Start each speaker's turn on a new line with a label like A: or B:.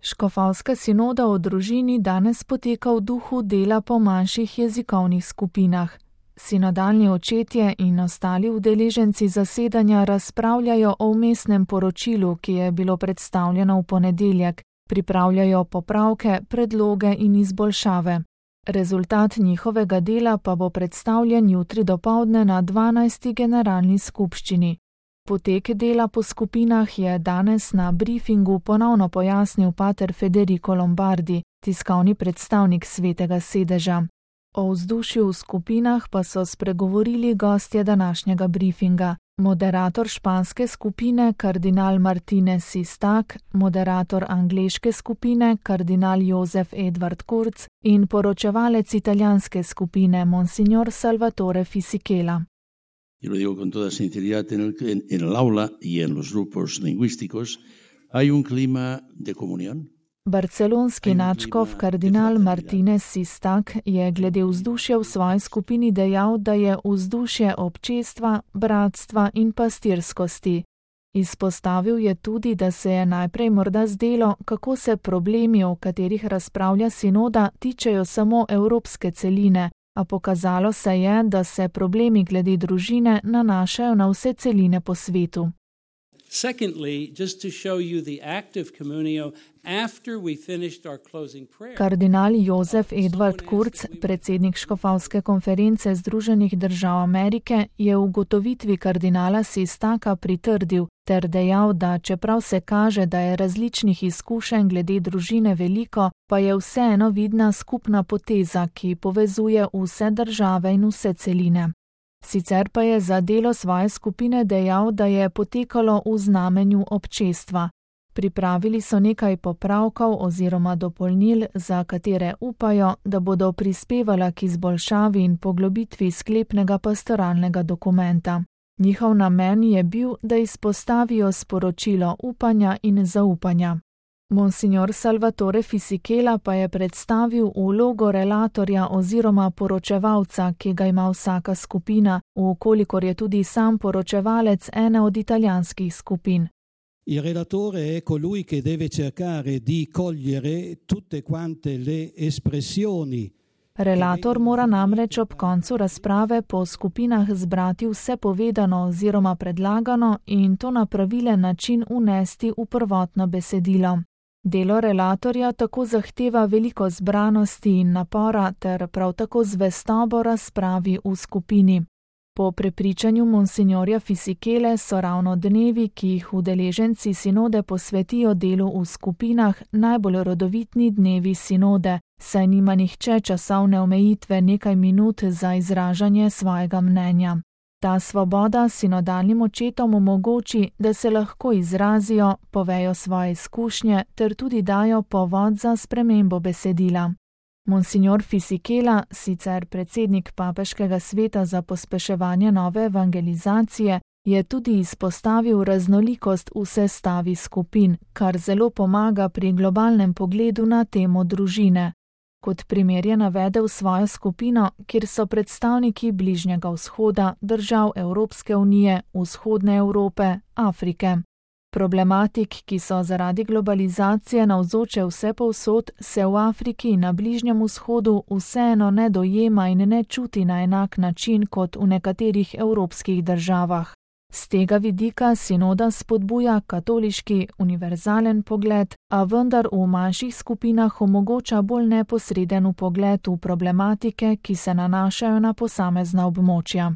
A: Škofovska sinoda o družini danes poteka v duhu dela po manjših jezikovnih skupinah. Sinodalni očetje in ostali udeleženci zasedanja razpravljajo o vmesnem poročilu, ki je bilo predstavljeno v ponedeljek, pripravljajo popravke, predloge in izboljšave. Rezultat njihovega dela pa bo predstavljen jutri dopoldne na 12. generalni skupščini. Potek dela po skupinah je danes na briefingu ponovno pojasnil pater Federico Lombardi, tiskovni predstavnik Svetega sedeža. O vzdušju v skupinah pa so spregovorili gostje današnjega briefinga, moderator španske skupine kardinal Martinez Sistak, moderator angleške skupine kardinal Josef Edward Kurz in poročevalec italijanske skupine monsignor Salvatore Fisichella.
B: Y lo digo con toda sinceridad, en el aula y en los grupos lingüísticos hay un clima de comunión.
A: Barcelonski nadškof kardinal Martinez Sistak je glede vzdušja v svoji skupini dejal, da je vzdušje občestva, bratstva in pastirskosti. Izpostavil je tudi, da se je najprej morda zdelo, kako se problemi, o katerih razpravlja sinoda, tičejo samo evropske celine, a pokazalo se je, da se problemi glede družine nanašajo na vse celine po svetu.
C: Secondly, just to show you the active communio after we finished our closing prayer.
A: Kardinal Josef Edward Kurz, predsednik Škofovske konference Združenih držav Amerike, je v ugotovitvi kardinala Sistaka pritrdil ter dejal, da čeprav se kaže, da je različnih izkušenj glede družine veliko, pa je vseeno vidna skupna poteza, ki povezuje vse države in vse celine. Sicer pa je za delo svoje skupine dejal, da je potekalo v znamenju občestva. Pripravili so nekaj popravkov oziroma dopolnil, za katere upajo, da bodo prispevala k izboljšavi in poglobitvi sklepnega pastoralnega dokumenta. Njihov namen je bil, da izpostavijo sporočilo upanja in zaupanja. Monsignor Salvatore Fisichella pa je predstavil vlogo relatorja oziroma poročevalca, ki ga ima vsaka skupina, vkolikor je tudi sam poročevalec ene od italijanskih skupin.
D: Il relatore è colui che deve cercare di cogliere tutte quante le espressioni.
A: Relator mora namreč ob koncu razprave po skupinah zbrati vse povedano oziroma predlagano in to na pravilen način unesti v prvotno besedilo. Delo relatorja tako zahteva veliko zbranosti in napora ter prav tako zvestobo razpravi v skupini. Po prepričanju monsignorja Fisichelle so ravno dnevi, ki jih udeleženci sinode posvetijo delu v skupinah, najbolj rodovitni dnevi sinode, saj nima nihče časovne omejitve nekaj minut za izražanje svojega mnenja. Ta svoboda sinodalnim očetom omogoči, da se lahko izrazijo, povejo svoje izkušnje ter tudi dajo povod za spremembo besedila. Monsignor Fisichella, sicer predsednik Papeškega sveta za pospeševanje nove evangelizacije, je tudi izpostavil raznolikost v sestavi skupin, kar zelo pomaga pri globalnem pogledu na temo družine. Kot primer je navedel svojo skupino, kjer so predstavniki Bližnjega vzhoda, držav Evropske unije, Vzhodne Evrope, Afrike. Problematik, ki so zaradi globalizacije navzoče vsepovsod, se v Afriki in na Bližnjem vzhodu vseeno ne dojema in ne čuti na enak način kot v nekaterih evropskih državah. Z tega vidika sinoda spodbuja katoliški, univerzalen pogled, a vendar v manjših skupinah omogoča bolj neposreden vpogled v problematike, ki se nanašajo na posamezna območja.